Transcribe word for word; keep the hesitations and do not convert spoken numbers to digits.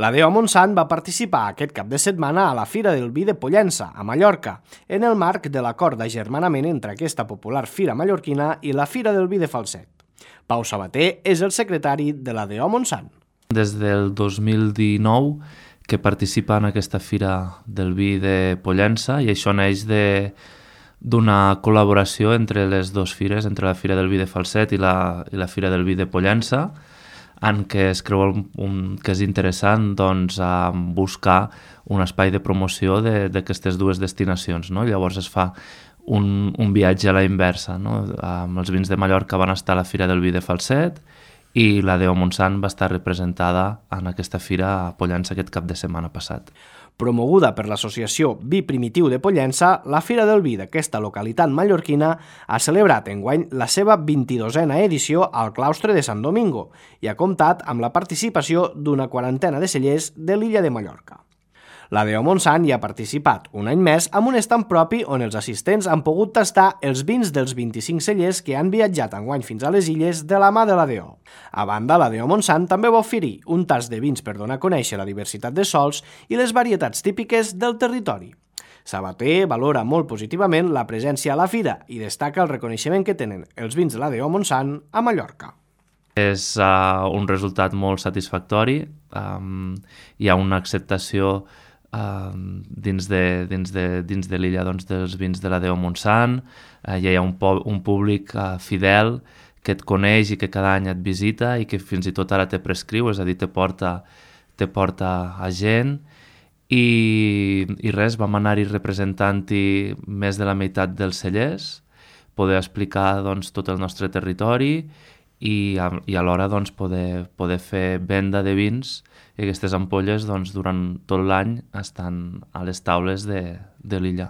La D O Montsant va participar aquest cap de setmana a la Fira del Vi de Pollença, a Mallorca, en el marc de l'acord d'agermanament entre aquesta popular fira mallorquina i la Fira del Vi de Falset. Pau Sabater és el secretari de la D O Montsant. Des del dos mil dinou que participa en aquesta Fira del Vi de Pollença i això neix de d'una col·laboració entre les dues fires, entre la Fira del Vi de Falset i la, i la Fira del Vi de Pollença, en què es creu un, un, que és interessant doncs, a buscar un espai de promoció d'aquestes dues destinacions. No? Llavors es fa un, un viatge a la inversa. No? Amb els vins de Mallorca van estar a la Fira del Vi de Falset i la D O Montsant va estar representada en aquesta fira a Pollença aquest cap de setmana passat. Promoguda per l'associació Vi Primitiu de Pollença, la Fira del Vi d'aquesta localitat mallorquina ha celebrat enguany la seva vint-i-dosena edició al claustre de Sant Domingo i ha comptat amb la participació d'una quarantena de cellers de l'illa de Mallorca. La D O Montsant hi ha participat un any més amb un estand propi on els assistents han pogut tastar els vins dels vint-i-cinc cellers que han viatjat enguany fins a les illes de la mà de la D O. A banda, la D O Montsant també va oferir un tast de vins per donar a conèixer la diversitat de sols i les varietats típiques del territori. Sabater valora molt positivament la presència a la fira i destaca el reconeixement que tenen els vins de la D O Montsant a Mallorca. És uh, un resultat molt satisfactori, um, hi ha una acceptació Uh, dins de, dins de, dins de l'illa doncs, dels vins de la D O Montsant, uh, hi ha un, un públic uh, fidel que et coneix i que cada any et visita i que fins i tot ara te prescriu, és a dir, te porta, te porta a gent i, i res, vam anar-hi representant-hi més de la meitat dels cellers, poder explicar doncs, tot el nostre territori i, i alhora doncs, poder, poder fer venda de vins i aquestes ampolles doncs, durant tot l'any estan a les taules de, de l'illa.